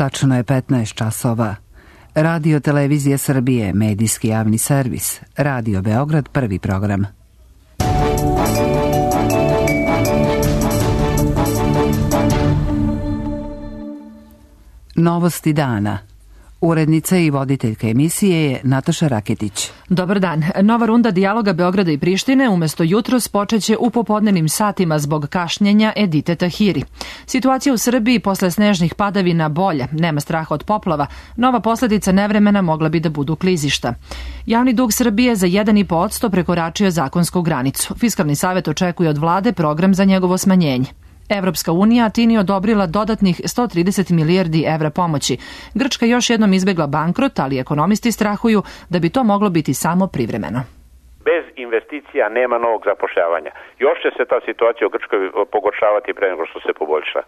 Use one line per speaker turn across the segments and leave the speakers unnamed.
Tačno je 15 časova. Radio Televizija Srbije, medijski javni servis. Radio Beograd, prvi program. Novosti dana. Urednica i voditeljka emisije je Nataša Raketić.
Dobar dan. Nova runda dijaloga Beograda i Prištine umesto jutros počeće u popodnevnim satima zbog kašnjenja Edite Tahiri. Situacija u Srbiji posle snežnih padavina bolja, nema straha od poplava, nova posledica nevremena mogla bi da budu klizišta. Javni dug Srbije za 1,5% prekoračio zakonsku granicu. Fiskalni savet očekuje od vlade program za njegovo smanjenje. Evropska unija Tini odobrila dodatnih 130 milijardi evra pomoći. Grčka još jednom izbegla bankrot, ali ekonomisti strahuju da bi to moglo biti samo privremeno.
Bez investicija nema novog zapošljavanja. Još će se ta situacija u Grčkoj pogoršavati pre nego što se poboljša.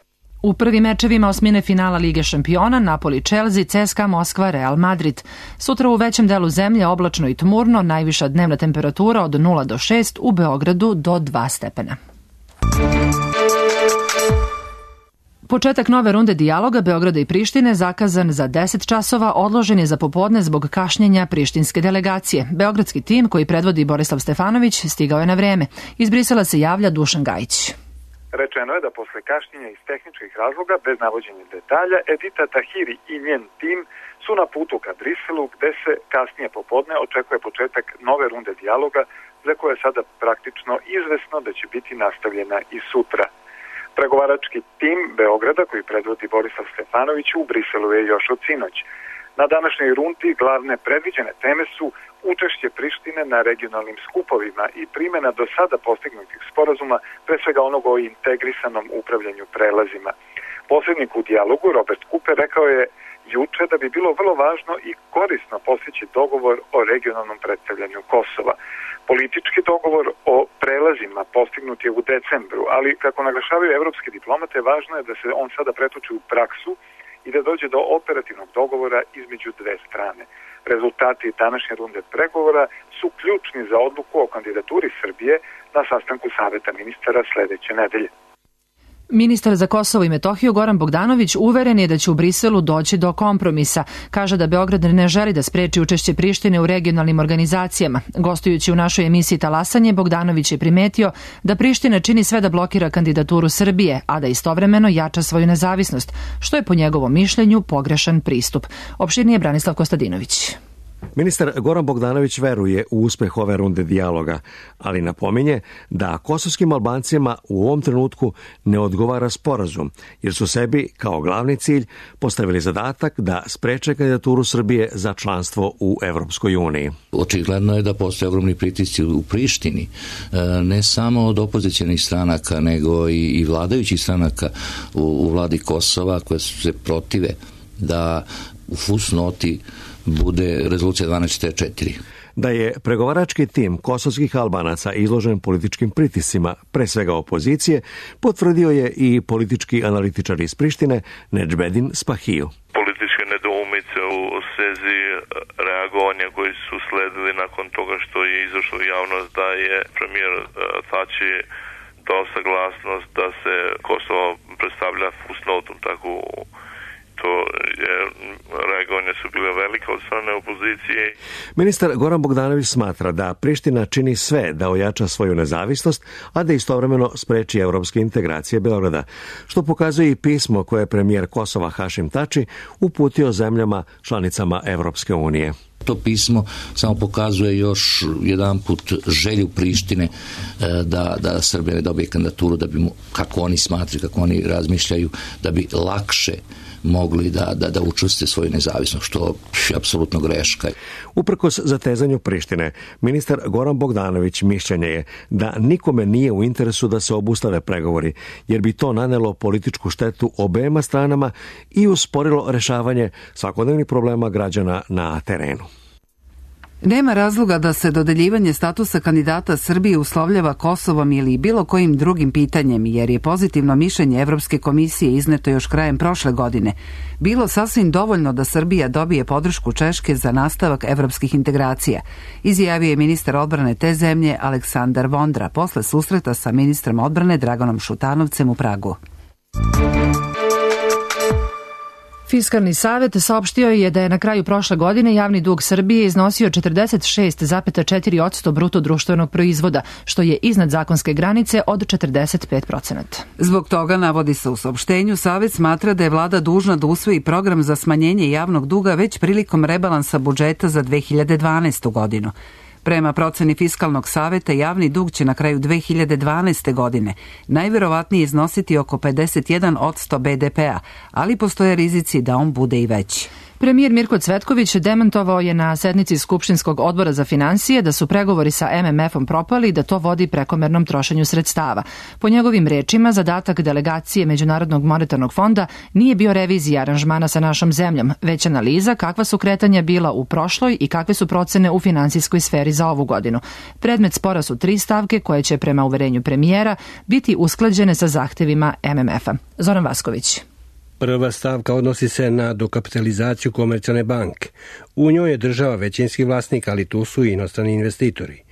U prvim mečevima osmine finala Lige šampiona Napoli, Chelsea, CSKA, Moskva, Real Madrid. Sutra u većem delu zemlje oblačno i tmurno, najviša dnevna temperatura od 0 do 6, u Beogradu do 2 stepena. Početak nove runde dijaloga Beograda i Prištine, zakazan za 10 časova, odložen je za popodne zbog kašnjenja prištinske delegacije. Beogradski tim, koji predvodi Borislav Stefanović, stigao je na vreme. Iz Brisela se javlja Dušan Gajić.
Rečeno je da posle kašnjenja iz tehničkih razloga, bez navođenja detalja, Edita Tahiri i njen tim su na putu ka Briselu, gde se kasnije popodne očekuje početak nove runde dijaloga, za koje je sada praktično izvesno da će biti nastavljena i sutra. Pregovarački tim Beograda, koji predvodi Borislav Stefanović, u Briselu je još od sinoć. Na današnjoj rundi glavne predviđene teme su učešće Prištine na regionalnim skupovima i primjena do sada postignutih sporazuma, pre svega onog o integrisanom upravljanju prelazima. Posrednik u dijalogu Robert Cooper rekao je juče da bi bilo vrlo važno i korisno postići dogovor o regionalnom predstavljanju Kosova. Politički dogovor o prelazima postignut je u decembru, ali kako naglašavaju evropski diplomate, važno je da se on sada pretoči u praksu i da dođe do operativnog dogovora između dve strane. Rezultati današnje runde pregovora su ključni za odluku o kandidaturi Srbije na sastanku Saveta ministara sledeće nedelje.
Ministar za Kosovo i Metohiju Goran Bogdanović uveren je da će u Briselu doći do kompromisa. Kaže da Beograd ne želi da spreči učešće Prištine u regionalnim organizacijama. Gostujući u našoj emisiji Talasanje, Bogdanović je primetio da Priština čini sve da blokira kandidaturu Srbije, a da istovremeno jača svoju nezavisnost, što je po njegovom mišljenju pogrešan pristup. Opširnije Branislav Kostadinović.
Ministar Goran Bogdanović veruje u uspeh ove runde dijaloga, ali napominje da kosovskim Albancima u ovom trenutku ne odgovara sporazum, jer su sebi kao glavni cilj postavili zadatak da spreče kandidaturu Srbije za članstvo u Evropskoj uniji.
Očigledno je da postoje ogromni pritisci u Prištini, ne samo od opozicionih stranaka, nego i vladajućih stranaka u vladi Kosova, koje se protive da u fusnoti bude rezolucija 1244.
Da je pregovarački tim kosovskih Albanaca izložen političkim pritiscima, pre svega opozicije, potvrdio je i politički analitičar iz Prištine Nedžbedin Spahiju.
Političke nedoumice u svezi reagovanja koji su sledili nakon toga što je izašlo u javnost da je premijer Tači dao saglasnost da se Kosovo predstavlja fusnotom, tako to je, reagovanja su bile velike od strane opozicije.
Ministar Goran Bogdanović smatra da Priština čini sve da ojača svoju nezavisnost, a da istovremeno spreči evropske integracije Beograda, što pokazuje i pismo koje je premijer Kosova Hašim Tači uputio zemljama članicama Evropske unije.
To pismo samo pokazuje još jedan put želju Prištine da Srbija dobije kandidaturu, da bi mu, kako oni smatraju, kako oni razmišljaju, da bi lakše mogli da učvrste svoju nezavisnost, što je apsolutno greška.
Uprkos zatezanju Prištine, ministar Goran Bogdanović mišljenja je da nikome nije u interesu da se obustave pregovori, jer bi to nanelo političku štetu obema stranama i usporilo rešavanje svakodnevnih problema građana na terenu.
Nema razloga da se dodeljivanje statusa kandidata Srbije uslovljava Kosovom ili bilo kojim drugim pitanjem, jer je pozitivno mišljenje Evropske komisije izneto još krajem prošle godine bilo sasvim dovoljno da Srbija dobije podršku Češke za nastavak evropskih integracija, izjavio je ministar odbrane te zemlje Aleksandar Vondra posle susreta sa ministrom odbrane Draganom Šutanovcem u Pragu.
Fiskalni savet saopštio je da je na kraju prošle godine javni dug Srbije iznosio 46,4% bruto društvenog proizvoda, što je iznad zakonske granice od 45%.
Zbog toga, navodi se u saopštenju, Savet smatra da je vlada dužna da usvoji program za smanjenje javnog duga već prilikom rebalansa budžeta za 2012. godinu. Prema proceni Fiskalnog saveta, javni dug će na kraju 2012. godine najverovatnije iznositi oko 51% BDP-a, ali postoje rizici da on bude i veći.
Premijer Mirko Cvetković demantovao je na sednici Skupštinskog odbora za finansije da su pregovori sa MMF-om propali i da to vodi prekomernom trošenju sredstava. Po njegovim rečima, zadatak delegacije Međunarodnog monetarnog fonda nije bio revizija aranžmana sa našom zemljom, već analiza kakva su kretanja bila u prošloj i kakve su procene u finansijskoj sferi za ovu godinu. Predmet spora su 3 stavke koje će, prema uverenju premijera, biti usklađene sa zahtevima MMF-a. Zoran Vasković.
Prva stavka odnosi se na dokapitalizaciju Komercijalne banke. U njoj je država većinski vlasnik, ali tu su i inostrani investitori.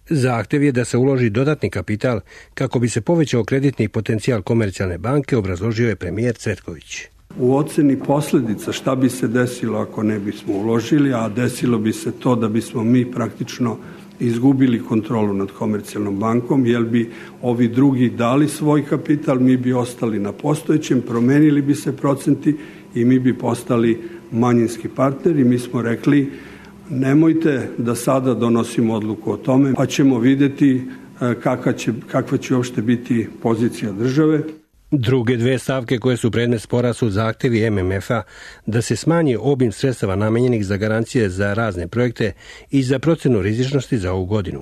Zahtev je da se uloži dodatni kapital kako bi se povećao kreditni potencijal Komercijalne banke, obrazložio je premijer Cvetković.
U oceni posljedica šta bi se desilo ako ne bismo uložili, a desilo bi se to da bismo mi praktično izgubili kontrolu nad Komercijalnom bankom, jer bi ovi drugi dali svoj kapital, mi bi ostali na postojećem, promenili bi se procenti i mi bi postali manjinski partneri. Mi smo rekli, nemojte da sada donosimo odluku o tome, pa ćemo vidjeti kakva će uopšte biti pozicija države.
Druge 2 stavke koje su predmet spora su zahtevi MMF-a da se smanji obim sredstava namenjenih za garancije za razne projekte i za procenu rizičnosti za ovu godinu.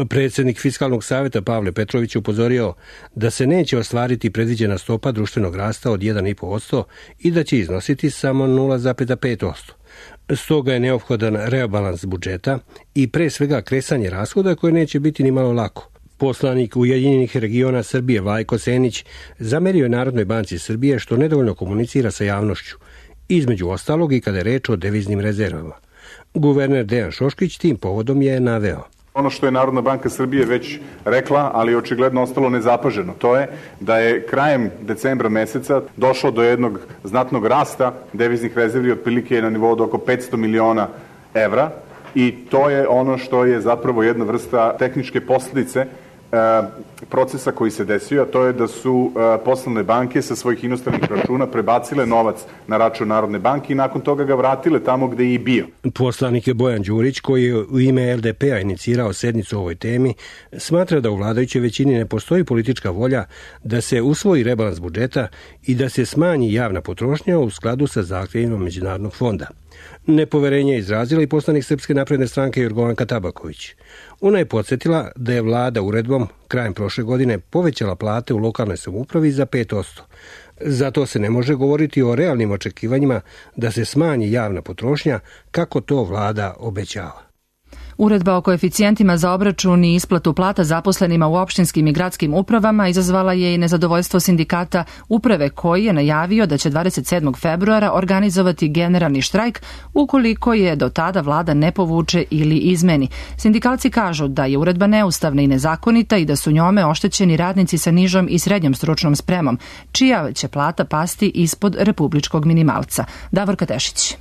Predsjednik Fiskalnog saveta Pavle Petrović upozorio da se neće ostvariti predviđena stopa društvenog rasta od 1,5% i da će iznositi samo 0,5%. Stoga je neophodan rebalans budžeta i pre svega kresanje rashoda koje neće biti ni malo lako. Poslanik Ujedinjenih regiona Srbije Vlajko Senić zamerio je Narodnoj banci Srbije što nedovoljno komunicira sa javnošću, između ostalog i kada je reč o deviznim rezervama. Guverner Dejan Šoškić tim povodom je naveo.
Ono što je Narodna banka Srbije već rekla, ali očigledno ostalo nezapaženo, to je da je krajem decembra meseca došlo do jednog znatnog rasta deviznih rezervi, otprilike na nivou od oko 500 miliona evra, i to je ono što je zapravo jedna vrsta tehničke posljedice procesa koji se desio, a to je da su poslovne banke sa svojih inostranih računa prebacile novac na račun Narodne banke i nakon toga ga vratile tamo gde je i bio.
Poslanik je Bojan Đurić, koji je u ime LDP-a inicirao sednicu o ovoj temi, smatra da u vladajućoj većini ne postoji politička volja da se usvoji rebalans budžeta i da se smanji javna potrošnja u skladu sa zahtjevima Međunarodnog fonda. Nepoverenje je izrazila i poslanik Srpske napredne stranke Jorgovanka Tabaković. Ona je podsjetila da je vlada uredbom krajem prošle godine povećala plate u lokalnoj samoupravi za 5%. Zato se ne može govoriti o realnim očekivanjima da se smanji javna potrošnja kako to vlada obećava.
Uredba o koeficijentima za obračun i isplatu plata zaposlenima u opštinskim i gradskim upravama izazvala je i nezadovoljstvo sindikata uprave, koji je najavio da će 27. februara organizovati generalni štrajk ukoliko je do tada vlada ne povuče ili izmeni. Sindikalci kažu da je uredba neustavna i nezakonita i da su njome oštećeni radnici sa nižom i srednjom stručnom spremom, čija će plata pasti ispod republičkog minimalca. Davorka Tešić.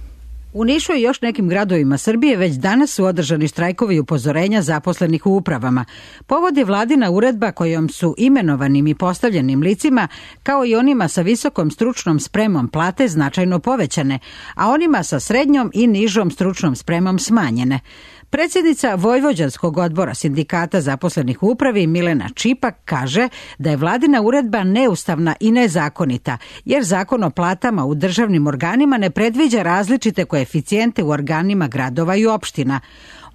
U Nišu i još nekim gradovima Srbije već danas su održani štrajkovi i upozorenja zaposlenih u upravama. Povod je vladina uredba kojom su imenovanim i postavljenim licima, kao i onima sa visokom stručnom spremom, plate značajno povećane, a onima sa srednjom i nižom stručnom spremom smanjene. Predsjednica Vojvođanskog odbora sindikata zaposlenih u upravi Milena Čipak kaže da je vladina uredba neustavna i nezakonita, jer zakon o platama u državnim organima ne predviđa različite koeficijente u organima gradova i opština.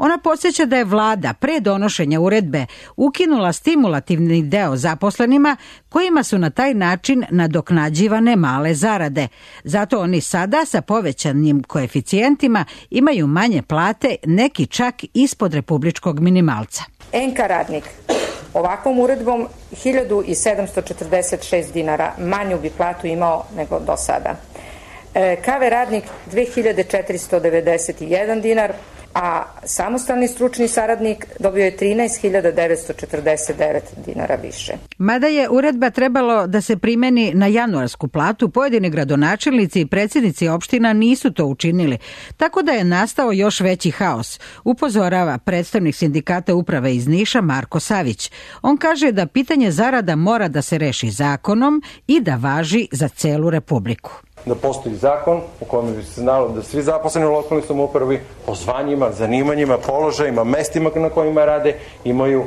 Ona podsjeća da je vlada pre donošenja uredbe ukinula stimulativni deo zaposlenima kojima su na taj način nadoknađivane male zarade. Zato oni sada sa povećanim koeficijentima imaju manje plate, neki čak ispod republičkog minimalca.
NK radnik ovakvom uredbom 1746 dinara manju bi platu imao nego do sada. KV radnik 2491 dinar, a samostalni stručni saradnik dobio je 13.949 dinara više.
Mada je uredba trebalo da se primeni na januarsku platu, pojedini gradonačelnici i predsjednici opština nisu to učinili, tako da je nastao još veći haos, upozorava predstavnik sindikata uprave iz Niša Marko Savić. On kaže da pitanje zarada mora da se reši zakonom i da važi za celu Republiku.
Da postoji zakon u kojem bi se znalo da svi zaposleni u lokalnoj samoupravi po zvanjima, zanimanjima, položajima, mestima na kojima rade imaju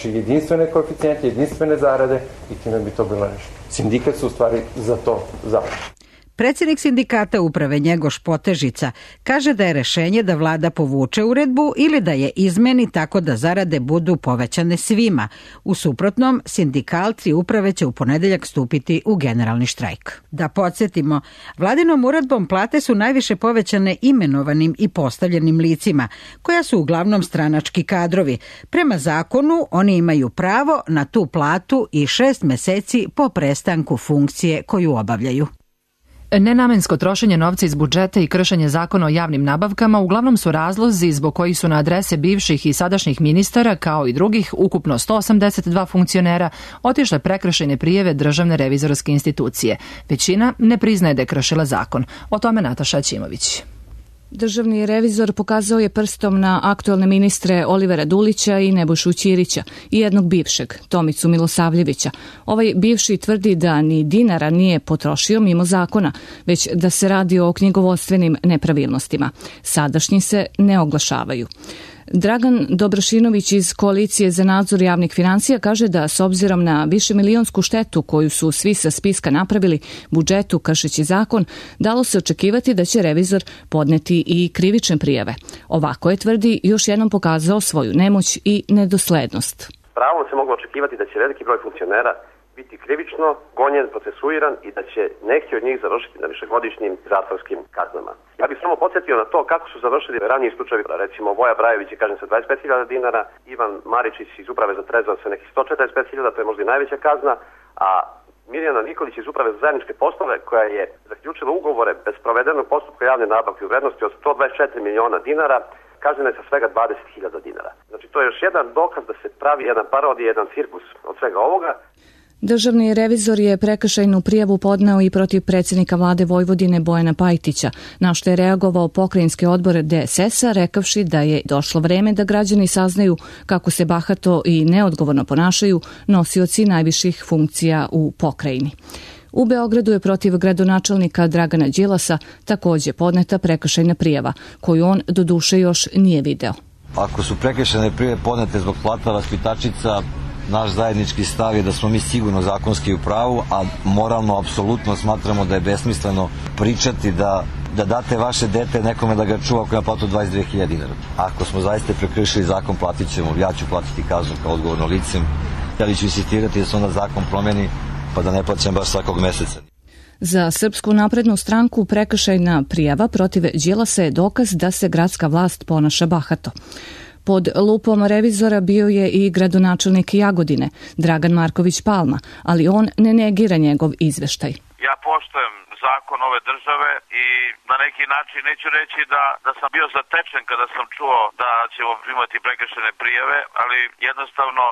jedinstvene koeficijente, jedinstvene zarade i time bi to bilo rešeno. Sindikat su u stvari za to zalaže.
Predsjednik sindikata uprave Njegoš Potežica kaže da je rešenje da vlada povuče uredbu ili da je izmeni tako da zarade budu povećane svima. U suprotnom, sindikalci uprave će u ponedeljak stupiti u generalni štrajk. Da podsjetimo, vladinom uredbom plate su najviše povećane imenovanim i postavljenim licima, koja su uglavnom stranački kadrovi. Prema zakonu, oni imaju pravo na tu platu i 6 meseci po prestanku funkcije koju obavljaju.
Nenamensko trošenje novca iz budžeta i kršenje zakona o javnim nabavkama uglavnom su razlozi zbog kojih su na adrese bivših i sadašnjih ministara, kao i drugih, ukupno 182 funkcionera, otišle prekršajne prijave Državne revizorske institucije. Većina ne priznaje da je kršila zakon. O tome Nataša Ćimović.
Državni revizor pokazao je prstom na aktuelne ministre Olivera Dulića i Nebojšu Ćirića i jednog bivšeg, Tomicu Milosavljevića. Ovaj bivši tvrdi da ni dinara nije potrošio mimo zakona, već da se radi o knjigovodstvenim nepravilnostima. Sadašnji se ne oglašavaju. Dragan Dobrošinović iz Koalicije za nadzor javnih financija kaže da s obzirom na višemilionsku štetu koju su svi sa spiska napravili budžetu kršeći zakon, dalo se očekivati da će revizor podneti i krivične prijave. Ovako je, tvrdi, još jednom pokazao svoju nemoć i nedoslednost.
Pravo se moglo očekivati da će veliki broj funkcionera biti krivično gonjen, procesuiran i da će neki od njih završiti na višegodišnjim zatvorskim kaznama. Ja bih samo podsjetio na to kako su završili raniji slučajevi, recimo Voja Brajević je kažnjen sa 25.000 dinara, Ivan Maričić iz Uprave za trezor sa nekih 145.000, to je možda i najveća kazna, a Mirjana Nikolić iz Uprave za zajedničke poslove, koja je zaključila ugovore bez provedenog postupka javne nabavke u vrednosti od 124 miliona dinara, kažnjena je sa svega 20.000 dinara. Znači to je još jedan dokaz da se pravi jedan parodija, jedan cirkus od svega ovoga.
Državni revizor je prekršajnu prijavu podneo i protiv predsjednika vlade Vojvodine Bojana Pajtića, na što je reagovao pokrajinski odbor DSS-a, rekavši da je došlo vreme da građani saznaju kako se bahato i neodgovorno ponašaju nosioci najviših funkcija u pokrajini. U Beogradu je protiv gradonačelnika Dragana Đilasa također podneta prekršajna prijava, koju on doduše još nije video.
Ako su prekršajne prijave podnete zbog plata vaspitačica, naš zajednički stav je da smo mi sigurno zakonski u pravu, a moralno apsolutno smatramo da je besmisleno pričati da date vaše dete nekome da ga čuva ako je na platu 22.000 dinara. Ako smo zaista prekršili zakon, platit ćemo. Ja ću platiti kaznu kao odgovorno licem, ali ću insistirati da se onda zakon promeni pa da ne plaćam baš svakog meseca.
Za Srpsku naprednu stranku prekršajna prijava protiv Đilasa je dokaz da se gradska vlast ponaša bahato. Pod lupom revizora bio je i gradonačelnik Jagodine, Dragan Marković Palma, ali on ne negira njegov izveštaj.
Ja poštujem zakon ove države i na neki način neću reći da sam bio zatečen kada sam čuo da ćemo primati prekršajne prijave, ali jednostavno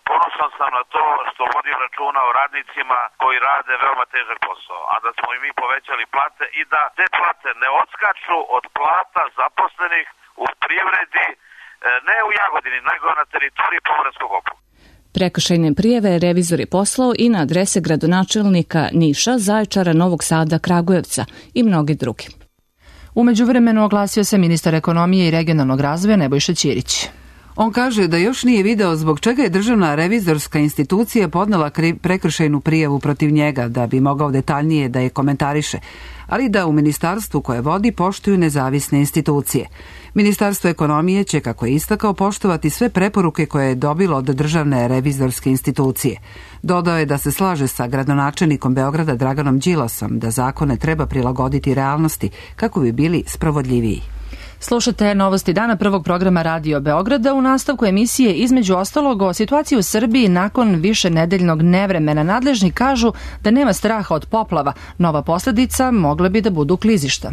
ponosan sam na to što vodim računa o radnicima koji rade veoma težak posao, a da smo i mi povećali plate i da te plate ne odskaču od plata zaposlenih u privredi, ne u Jagodini, nego na teritoriji Pomoravskog okruga.
Prekršajne prijeve revizor je poslao i na adrese gradonačelnika Niša, Zaječara, Novog Sada, Kragujevca i mnogi drugi.
U međuvremenu oglasio se ministar ekonomije i regionalnog razvoja Nebojša Ćirić.
On kaže da još nije video zbog čega je Državna revizorska institucija podnela prekršajnu prijavu protiv njega, da bi mogao detaljnije da je komentariše, ali da u ministarstvu koje vodi poštuju nezavisne institucije. Ministarstvo ekonomije će, kako je istakao, poštovati sve preporuke koje je dobilo od Državne revizorske institucije. Dodao je da se slaže sa gradonačelnikom Beograda Draganom Đilasom da zakone treba prilagoditi realnosti kako bi bili sprovodljiviji.
Slušate novosti dana prvog programa Radio Beograda. U nastavku emisije između ostalog o situaciji u Srbiji nakon višenedeljnog nevremena. Nadležni kažu da nema straha od poplava. Nova posljedica mogle bi da budu klizišta.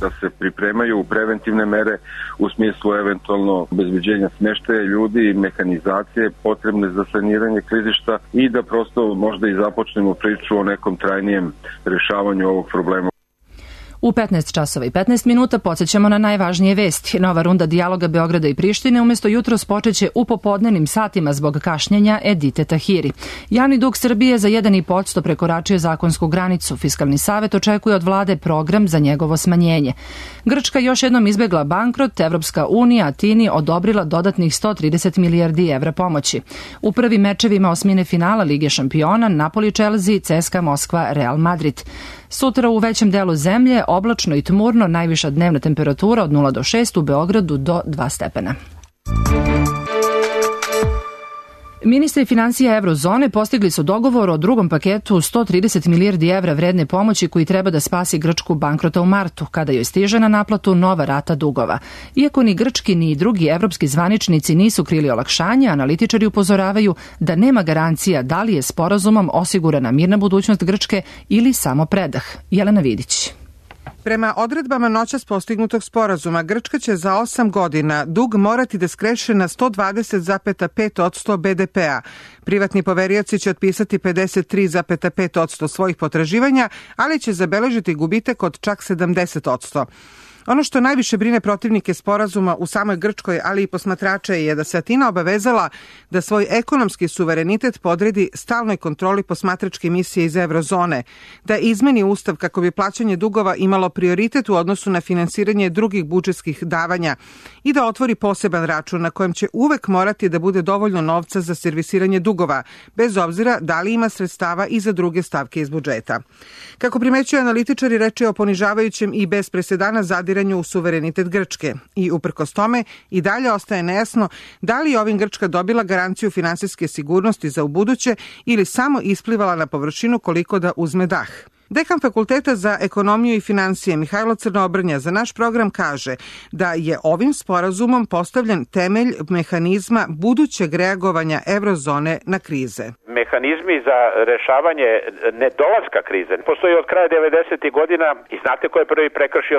da se pripremaju preventivne mere u smislu eventualno obezbeđenja smeštaja ljudi, mehanizacije potrebne za saniranje klizišta i da prosto možda i započnemo priču o nekom trajnijem rešavanju ovog problema.
U 15 časova i 15 minuta podsjećamo na najvažnije vesti. Nova runda dijaloga Beograda i Prištine umesto jutros počeće u popodnevnim satima zbog kašnjenja Edite Tahiri. Javni dug Srbije za 1,5% prekoračio zakonsku granicu. Fiskalni savet očekuje od vlade program za njegovo smanjenje. Grčka još jednom izbegla bankrot, Evropska unija Atini odobrila dodatnih 130 milijardi evra pomoći. U prvim mečevima osmine finala Lige šampiona Napoli, Chelsea, CSKA Moskva, Real Madrid. Sutra u većem delu zemlje oblačno i tmurno, najviša dnevna temperatura od 0 do 6, u Beogradu do 2 stepena. Ministri financija Eurozone postigli su dogovor o drugom paketu 130 milijardi evra vredne pomoći koji treba da spasi Grčku bankrota u martu, kada joj stiže na naplatu nova rata dugova. Iako ni grčki ni drugi evropski zvaničnici nisu krili olakšanje, analitičari upozoravaju da nema garancija da li je sporazumom osigurana mirna budućnost Grčke ili samo predah. Jelena Vidić.
Prema odredbama noćas postignutog sporazuma, Grčka će za 8 godina dug morati da skreše na 120,5% BDP-a. Privatni poverioci će otpisati 53,5% svojih potraživanja, ali će zabeležiti gubitak od čak 70%. Ono što najviše brine protivnike sporazuma u samoj Grčkoj, ali i posmatrače, je da se Atina obavezala da svoj ekonomski suverenitet podredi stalnoj kontroli posmatračke misije iz Eurozone, da izmeni ustav kako bi plaćanje dugova imalo prioritet u odnosu na finansiranje drugih budžetskih davanja i da otvori poseban račun na kojem će uvek morati da bude dovoljno novca za servisiranje dugova, bez obzira da li ima sredstava i za druge stavke iz budžeta. Kako primećuju analitičari, reč je o ponižavajućem i bez presedana zadiranju u suverenitet Grčke i uprkos tome i dalje ostaje nejasno da li je ovim Grčka dobila garanciju finansijske sigurnosti za ubuduće ili samo isplivala na površinu koliko da uzme dah. Dekan Fakulteta za ekonomiju i financije Mihajlo Crnobrnja za naš program kaže da je ovim sporazumom postavljen temelj mehanizma budućeg reagovanja Eurozone na krize.
Mehanizmi za rešavanje nedolaska krize postoji od kraja 90. godina i znate ko je prvi prekršio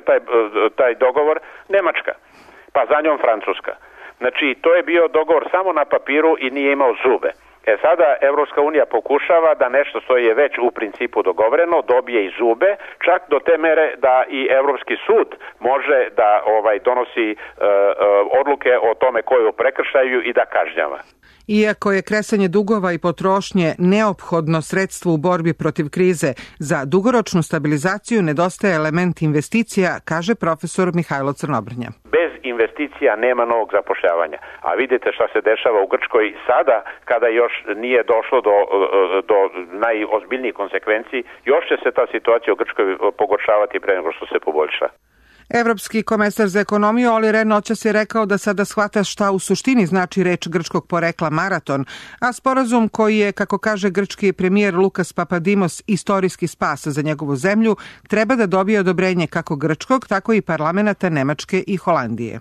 taj dogovor? Nemačka, pa za njom Francuska. Znači, to je bio dogovor samo na papiru i nije imao zube. Sada Evropska unija pokušava da nešto što je već u principu dogovoreno dobije i zube, čak do te mere da i Evropski sud može da donosi odluke o tome ko je u prekršaju i da kažnjava.
Iako je kresanje dugova i potrošnje neophodno sredstvo u borbi protiv krize, za dugoročnu stabilizaciju nedostaje element investicija, kaže profesor Mihajlo Crnobrnja.
Bez investicija nema novog zapošljavanja. A vidite šta se dešava u Grčkoj sada, kada još nije došlo do najozbiljnijih konsekvenciji, još će se ta situacija u Grčkoj pogoršavati pre nego što se poboljša.
Evropski komesar za ekonomiju Olli Rehn noćas je rekao da sada shvata šta u suštini znači reč grčkog porekla maraton, a sporazum koji je, kako kaže grčki premijer Lukas Papadimos, istorijski spas za njegovu zemlju, treba da dobije odobrenje kako grčkog, tako i parlamenta Nemačke i Holandije.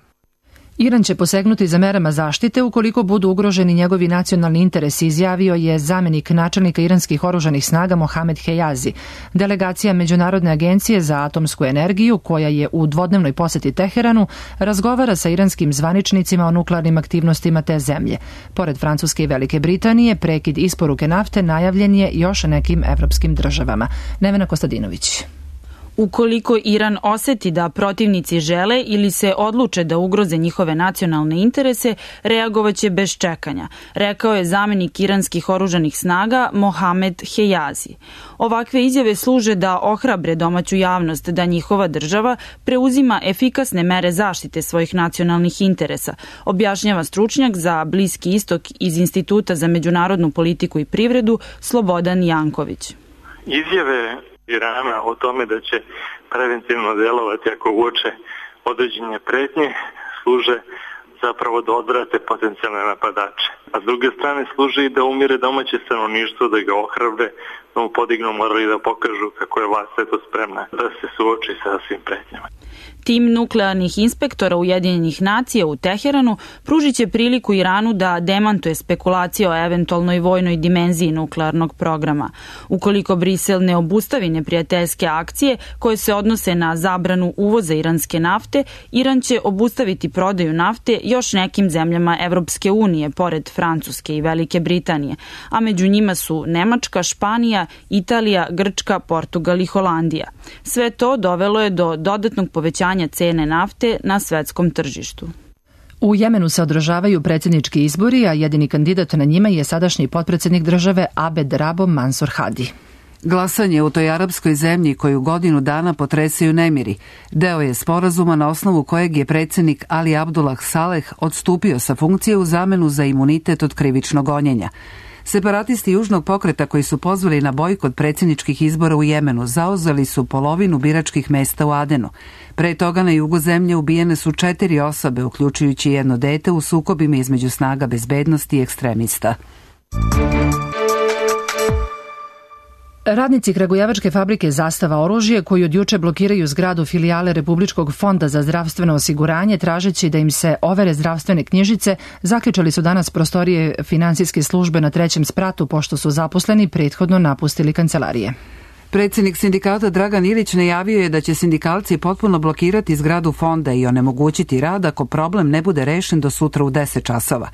Iran će posegnuti za merama zaštite ukoliko budu ugroženi njegovi nacionalni interesi, izjavio je zamenik načelnika iranskih oružanih snaga Mohamed Hejazi. Delegacija Međunarodne agencije za atomsku energiju, koja je u dvodnevnoj poseti Teheranu, razgovara sa iranskim zvaničnicima o nuklearnim aktivnostima te zemlje. Pored Francuske i Velike Britanije, prekid isporuke nafte najavljen je još nekim evropskim državama. Nevena Kostadinović.
Ukoliko Iran oseti da protivnici žele ili se odluče da ugroze njihove nacionalne interese, reagovaće bez čekanja, rekao je zamenik iranskih oružanih snaga Mohamed Hejazi. Ovakve izjave služe da ohrabre domaću javnost da njihova država preuzima efikasne mere zaštite svojih nacionalnih interesa, objašnjava stručnjak za Bliski istok iz Instituta za međunarodnu politiku i privredu Slobodan Janković.
Izjave Irana o tome da će preventivno delovati ako uoče određene pretnje služe zapravo da odvrate potencijalne napadače. A s druge strane služe i da umire domaće stanovništvo, da ga ohrabre, da mu podignu morali da pokažu kako je vlast eto spremna da se suoči sa svim pretnjama.
Tim nuklearnih inspektora Ujedinjenih nacija u Teheranu pružit će priliku Iranu da demantuje spekulacije o eventualnoj vojnoj dimenziji nuklearnog programa. Ukoliko Brisel ne obustavi neprijateljske akcije koje se odnose na zabranu uvoza iranske nafte, Iran će obustaviti prodaju nafte još nekim zemljama Evropske unije, pored Francuske i Velike Britanije, a među njima su Nemačka, Španija, Italija, Grčka, Portugal i Holandija. Sve to dovelo je do dodatnog povećanja cene nafte na svetskom tržištu.
U Jemenu se održavaju predsjednički izbori, a jedini kandidat na njima je sadašnji potpredsjednik države Abed Rabo Mansur Hadi.
Glasanje u toj arapskoj zemlji koju godinu dana potresaju nemiri deo je sporazuma na osnovu kojeg je predsjednik Ali Abdullah Saleh odstupio sa funkcije u zamenu za imunitet od krivičnog gonjenja. Separatisti južnog pokreta koji su pozvali na bojkot predsjedničkih izbora u Jemenu zauzeli su polovinu biračkih mesta u Adenu. Pre toga na jugu zemlje ubijene su 4 osobe, uključujući jedno dete u sukobima između snaga bezbednosti i ekstremista.
Radnici kragujevačke fabrike Zastava oružje, koji od juče blokiraju zgradu filijale Republičkog fonda za zdravstveno osiguranje, tražeći da im se overe zdravstvene knjižice, zaključali su danas prostorije finansijske službe na 3. spratu, pošto su zaposleni prethodno napustili kancelarije.
Predsjednik sindikata Dragan Ilić najavio je da će sindikalci potpuno blokirati zgradu fonda i onemogućiti rad ako problem ne bude rešen do sutra u 10 časova.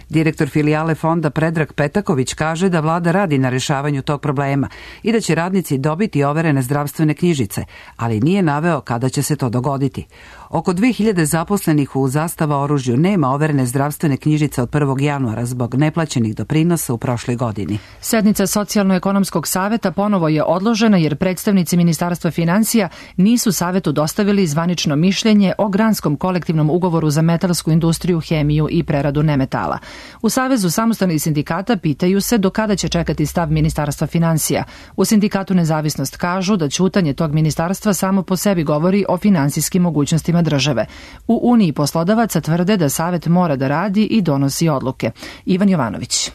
Direktor filijale fonda Predrag Petaković kaže da vlada radi na rešavanju tog problema i da će radnici dobiti overene zdravstvene knjižice, ali nije naveo kada će se to dogoditi. Oko 2000 zaposlenih u Zastava oružju nema overene zdravstvene knjižice od 1. januara zbog neplaćenih doprinosa u prošloj godini.
Sednica Socijalno-ekonomskog saveta ponovo je odložena jer predstavnici Ministarstva finansija nisu savetu dostavili zvanično mišljenje o granskom kolektivnom ugovoru za metalsku industriju, hemiju i preradu nemetala. U Savezu samostalnih sindikata pitaju se do kada će čekati stav Ministarstva finansija. U sindikatu Nezavisnost kažu da ćutanje tog ministarstva samo po sebi govori o finansijskim mogućnostima države. U Uniji poslodavaca tvrde da Savet mora da radi i donosi odluke. Ivan Jovanović.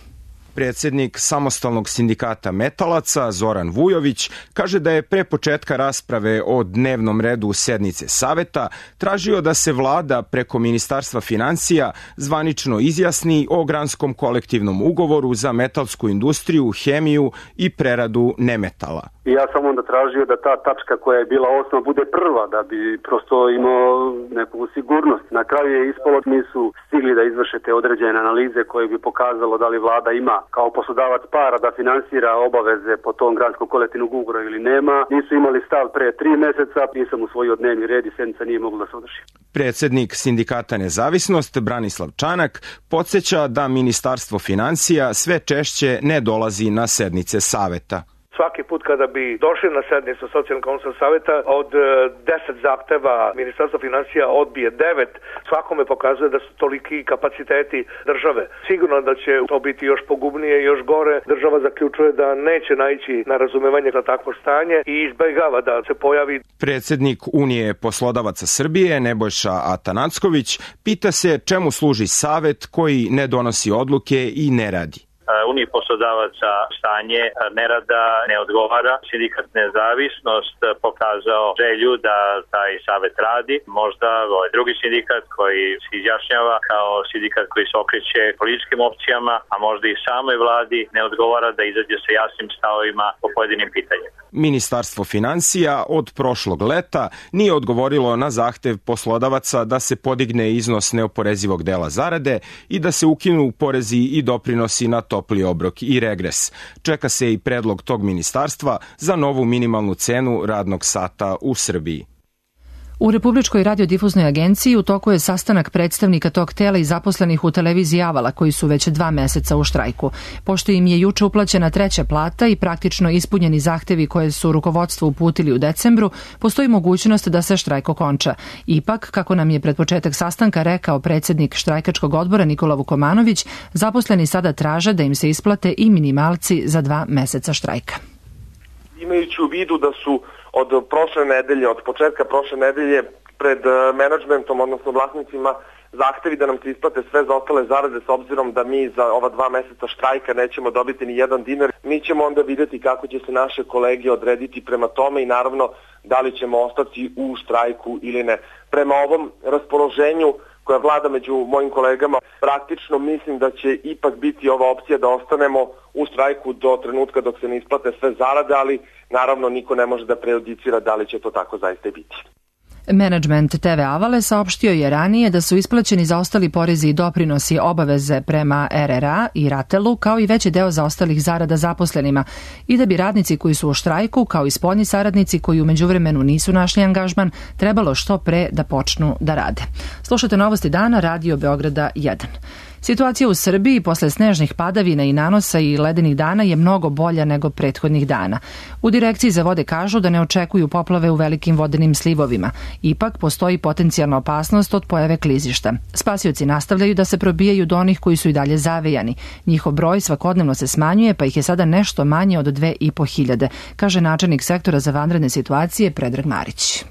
Predsjednik samostalnog sindikata metalaca Zoran Vujović kaže da je pre početka rasprave o dnevnom redu sednice saveta tražio da se vlada preko Ministarstva finansija zvanično izjasni o granskom kolektivnom ugovoru za metalsku industriju, hemiju i preradu nemetala.
I ja sam onda tražio da ta tačka koja je bila osnova bude prva, da bi prosto imao neku sigurnost. Na kraju je ispalo, nisu stigli da izvrše te određene analize koje bi pokazalo da li vlada ima kao poslodavac para da finansira obaveze po tom granskom kolektivnog ugovora ili nema. Nisu imali stav pre 3 meseca, nisam usvojio dnevni red i sednica nije mogla da se održi.
Predsjednik sindikata Nezavisnost Branislav Čanak podsjeća da Ministarstvo finansija sve češće ne dolazi na sednice saveta.
Svaki put kada bi došli na sednicu Socijalno-ekonomskog saveta, od 10 zahteva Ministarstvo finansija odbije 9, svakome pokazuje da su toliki kapaciteti države. Sigurno da će to biti još pogubnije i još gore. Država zaključuje da neće naići na razumevanje za takvo stanje i izbegava da se pojavi.
Predsjednik Unije poslodavaca Srbije Nebojša Atanacković pita se čemu služi savet koji ne donosi odluke i ne radi.
Uniji poslodavaca stanje nerada ne odgovara. Sindikat Nezavisnost pokazao želju da taj savet radi. Možda drugi sindikat koji se izjašnjava kao sindikat koji se okreće političkim opcijama, a možda i samoj vladi ne odgovara da izađe sa jasnim stavovima po pojedinim pitanjima.
Ministarstvo finansija od prošlog leta nije odgovorilo na zahtev poslodavaca da se podigne iznos neoporezivog dela zarade i da se ukinu porezi i doprinosi na topli obrok i regres. Čeka se i predlog tog ministarstva za novu minimalnu cenu radnog sata u Srbiji.
U Republičkoj radiodifuznoj agenciji u toku je sastanak predstavnika tog tela i zaposlenih u televiziji Avala, koji su već 2 meseca u štrajku. Pošto im je juče uplaćena 3. plata i praktično ispunjeni zahtevi koje su rukovodstvo uputili u decembru, postoji mogućnost da se štrajk okonča. Ipak, kako nam je pred početak sastanka rekao predsjednik štrajkačkog odbora Nikola Vukomanović, zaposleni sada traže da im se isplate i minimalci za 2 meseca štrajka.
Imajući u vidu da su od početka prošle nedelje pred menadžmentom, odnosno vlasnicima zahtevi da nam se isplate sve zaostale zarade, s obzirom da mi za ova 2 meseca štrajka nećemo dobiti ni 1 dinar. Mi ćemo onda vidjeti kako će se naše kolege odrediti prema tome i naravno da li ćemo ostati u štrajku ili ne. Prema ovom raspoloženju koja vlada među mojim kolegama, praktično mislim da će ipak biti ova opcija da ostanemo u štrajku do trenutka dok se ne isplate sve zarade, ali naravno niko ne može da prejudicira da li će to tako zaista i biti.
Menadžment TV Avale saopštio je ranije da su isplaćeni zaostali porezi i doprinosi obaveze prema RRA i Ratelu, kao i veći deo zaostalih zarada zaposlenima i da bi radnici koji su u štrajku, kao i spoljni saradnici koji u međuvremenu nisu našli angažman, trebalo što pre da počnu da rade. Slušate Novosti dana, Radio Beograda 1. Situacija u Srbiji posle snežnih padavina i nanosa i ledenih dana je mnogo bolja nego prethodnih dana. U Direkciji za vode kažu da ne očekuju poplave u velikim vodenim slivovima. Ipak postoji potencijalna opasnost od pojave klizišta. Spasioci nastavljaju da se probijaju do onih koji su i dalje zavejani. Njihov broj svakodnevno se smanjuje, pa ih je sada nešto manje od 2.500, kaže načelnik sektora za vanredne situacije Predrag Marić.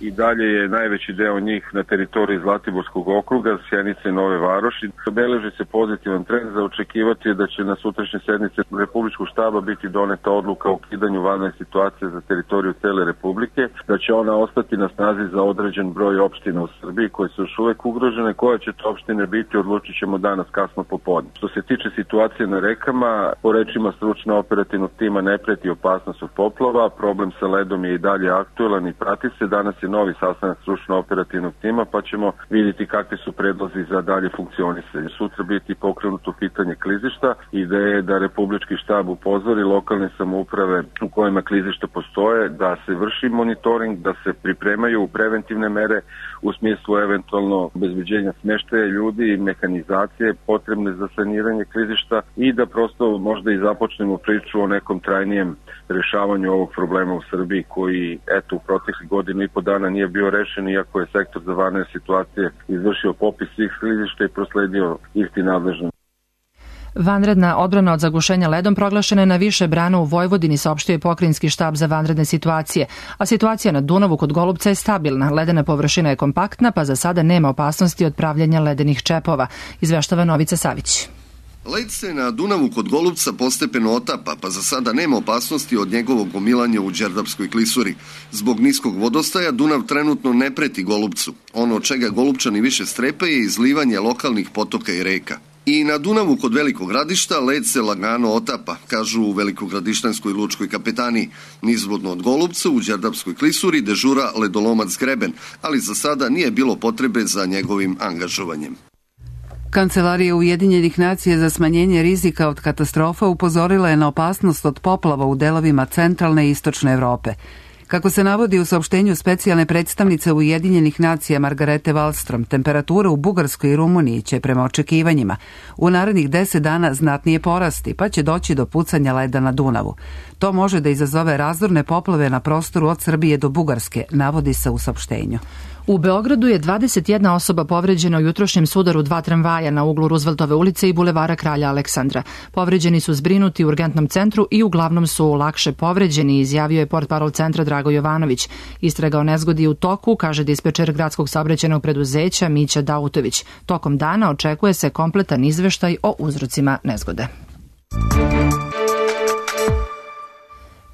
I dalje je najveći deo njih na teritoriji Zlatiborskog okruga, Sjenice i Nove Varoši. Beleži se pozitivan trend, za očekivati je da će na sutrašnje sednice Republičkog štaba biti doneta odluka o ukidanju vanredne situacije za teritoriju cele Republike, da će ona ostati na snazi za određen broj opština u Srbiji koje su još uvek ugrožene. Koje će to opštine biti, odlučit ćemo danas kasno popodne. Što se tiče situacije na rekama, po rečima stručno operativnog tima ne preti opasnost od poplava, problem sa ledom je i dalje aktuelan i prati se. Danas je novi sastanak stručno-operativnog tima, pa ćemo vidjeti kakvi su predlozi za dalje funkcionisanje. Sutra biti pokrenuto pitanje klizišta. Ideja je da Republički štab upozori lokalne samouprave u kojima klizišta postoje, da se vrši monitoring, da se pripremaju preventivne mere u smislu eventualno obezbeđenja smeštaja ljudi i mehanizacije potrebne za saniranje klizišta i da prosto možda i započnemo priču o nekom trajnijem rešavanju ovog problema u Srbiji koji, eto, u proteklih godinu i po dana nije bio rešen, iako je sektor za vanredne situacije izvršio popis svih klizišta i prosledio isti nadležno.
Vanredna odbrana od zagušenja ledom proglašena je na više brana u Vojvodini, saopštio je Pokrajinski štab za vanredne situacije, a situacija na Dunavu kod Golubca je stabilna. Ledena površina je kompaktna, pa za sada nema opasnosti od pravljenja ledenih čepova, izveštava Novica Savić.
Led se na Dunavu kod Golubca postepeno otapa, pa za sada nema opasnosti od njegovog gomilanja u Đerdapskoj klisuri. Zbog niskog vodostaja Dunav trenutno ne preti Golubcu. Ono od čega Golubčani više strepe je izlivanje lokalnih potoka i reka. I na Dunavu kod Velikog Gradišta led se lagano otapa, kažu u Velikogradištanskoj lučkoj kapetaniji. Nizvodno od Golubca u Đerdapskoj klisuri dežura ledolomac Greben, ali za sada nije bilo potrebe za njegovim angažovanjem.
Kancelarija Ujedinjenih nacija za smanjenje rizika od katastrofa upozorila je na opasnost od poplava u delovima centralne i istočne Evrope. Kako se navodi u saopštenju specijalne predstavnice Ujedinjenih nacija Margarete Wallström, temperatura u Bugarskoj i Rumuniji će prema očekivanjima u narednih 10 dana znatnije porasti, pa će doći do pucanja leda na Dunavu. To može da izazove razorne poplave na prostoru od Srbije do Bugarske, navodi se u saopštenju.
U Beogradu je 21 osoba povređena u jutrošnjem sudaru 2 tramvaja na uglu Ruzveltove ulice i bulevara Kralja Aleksandra. Povređeni su zbrinuti u urgentnom centru i uglavnom su lakše povređeni, izjavio je portparol centra Drago Jovanović. Istraga o nezgodi u toku, kaže dispečer gradskog saobraćajnog preduzeća Mića Dautović. Tokom dana očekuje se kompletan izveštaj o uzrocima nezgode.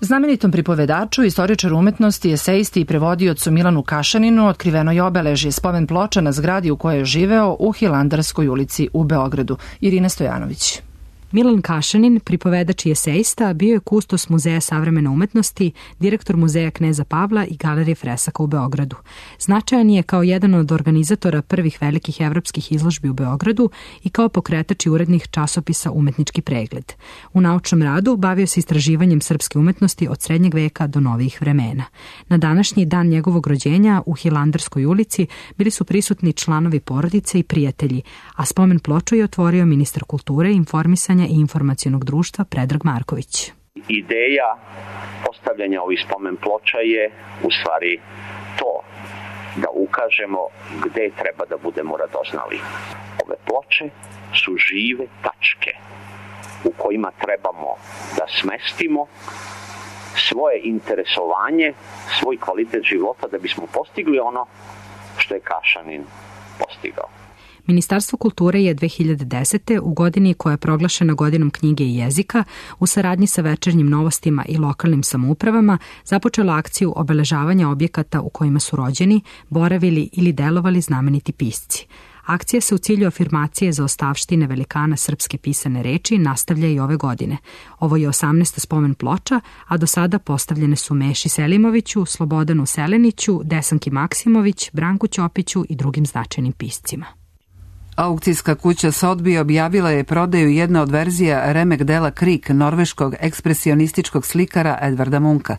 Znamenitom pripovedaču, istoričaru umetnosti, esejisti i prevodiocu Milanu Kašaninu otkriveno je obeležje, spomen ploča na zgradi u kojoj je živeo u Hilandarskoj ulici u Beogradu. Irina Stojanović.
Milan Kašanin, pripovedač i esejista, bio je kustos Muzeja savremene umetnosti, direktor Muzeja Kneza Pavla i Galerije fresaka u Beogradu. Značajan je kao jedan od organizatora prvih velikih evropskih izložbi u Beogradu i kao pokretač i urednik časopisa Umetnički pregled. U naučnom radu bavio se istraživanjem srpske umetnosti od srednjeg veka do novih vremena. Na današnji dan njegovog rođenja u Hilandarskoj ulici bili su prisutni članovi porodice i prijatelji, a spomen ploču je otvorio ministar kulture, informisanja i informacionog društva Predrag Marković.
Ideja postavljanja ovih spomen ploča je u stvari to da ukažemo gde treba da budemo radoznali. Ove ploče su žive tačke u kojima trebamo da smestimo svoje interesovanje, svoj kvalitet života da bismo postigli ono što je Kašanin postigao.
Ministarstvo kulture je 2010. u godini koja je proglašena godinom knjige i jezika, u saradnji sa Večernjim novostima i lokalnim samoupravama, započelo akciju obeležavanja objekata u kojima su rođeni, boravili ili delovali znameniti pisci. Akcija se u cilju afirmacije zaostavštine velikana srpske pisane reči nastavlja i ove godine. Ovo je 18. spomen ploča, a do sada postavljene su Meši Selimoviću, Slobodanu Seleniću, Desanki Maksimović, Branku Ćopiću i drugim značajnim piscima.
Aukcijska kuća Sotheby objavila je prodaju jedna od verzija remek dela Krik norveškog ekspresionističkog slikara Edvarda Munka.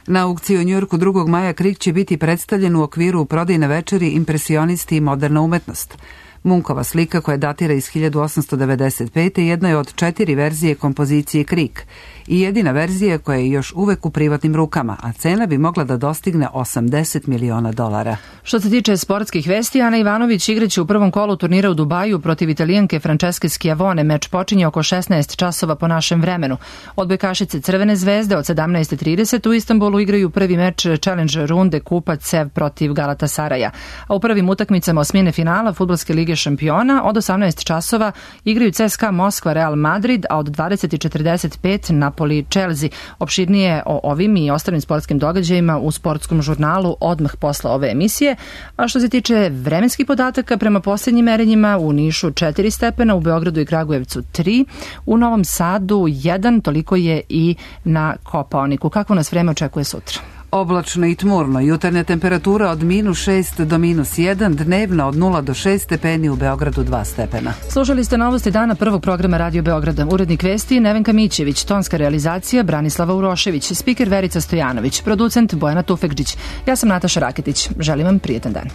Na aukciji u Njujorku 2. maja Krik će biti predstavljen u okviru prodajne večeri Impresionisti i moderna umetnost. Munkova slika, koja datira iz 1895. jedna je od 4 verzije kompozicije Krik i jedina verzija koja je još uvek u privatnim rukama, a cena bi mogla da dostigne $80 miliona.
Što se tiče sportskih vesti, Ana Ivanović igraće u prvom kolu turnira u Dubaju protiv Italijanke Franceske Schiavone. Meč počinje oko 16 časova po našem vremenu. Odbojkašice Crvene zvezde od 17:30 u Istanbulu igraju prvi meč Challenge runde kupa CEV protiv Galatasaraja. A u prvim utakmicama osmine finala Fudbalske lige šampiona od 18 časova igraju CSKA Moskva Real Madrid, a od 20:45 Napoli Chelsea. Opširnije o ovim i ostalim sportskim događajima u sportskom žurnalu odmah posle ove emisije. A što se tiče vremenskih podataka, prema posljednjim merenjima u Nišu 4 stepena, u Beogradu i Kragujevcu 3, u Novom Sadu 1, toliko je i na Kopaoniku. Kako nas vreme očekuje sutra?
Oblačno i tmurno, jutarnja temperatura od -6 do -1, dnevna od 0 do 6 stepeni, u Beogradu 2 stepena.
Slušali ste novosti dana prvog programa Radio Beograda. Urednik vesti Nevenka Mićević, tonska realizacija Branislava Urošević, spiker Verica Stojanović, producent Bojana Tufekđić. Ja sam Nataša Raketić. Želim vam prijetan dan.